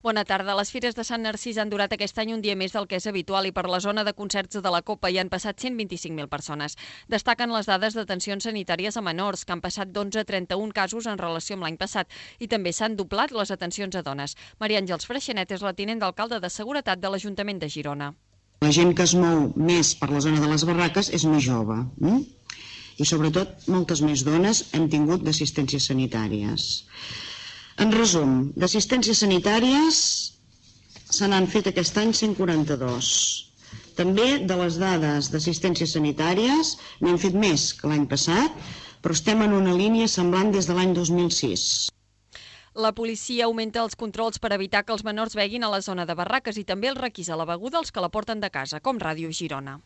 Bona tarda. Les Fires de Sant Narcís han durat aquest any un dia més del que és habitual i per la zona de concerts de la Copa hi han passat 125.000 persones. Destaquen les dades d'atencions sanitàries a menors, que han passat d'11 a 31 casos en relació amb l'any passat, i també s'han doblat les atencions a dones. Maria Àngels Freixenet és la tinent d'alcalde de Seguretat de l'Ajuntament de Girona. La gent que es mou més per la zona de les barraques és més jove. I sobretot moltes més dones hem tingut d'assistències sanitàries. En resum, d'assistències sanitàries se n'han fet aquest any 142. També de les dades d'assistències sanitàries n'hem fet més que l'any passat, però estem en una línia semblant des de l'any 2006. La policia augmenta els controls per evitar que els menors beguin a la zona de barraques i també els requisa la beguda als que la porten de casa, com Ràdio Girona.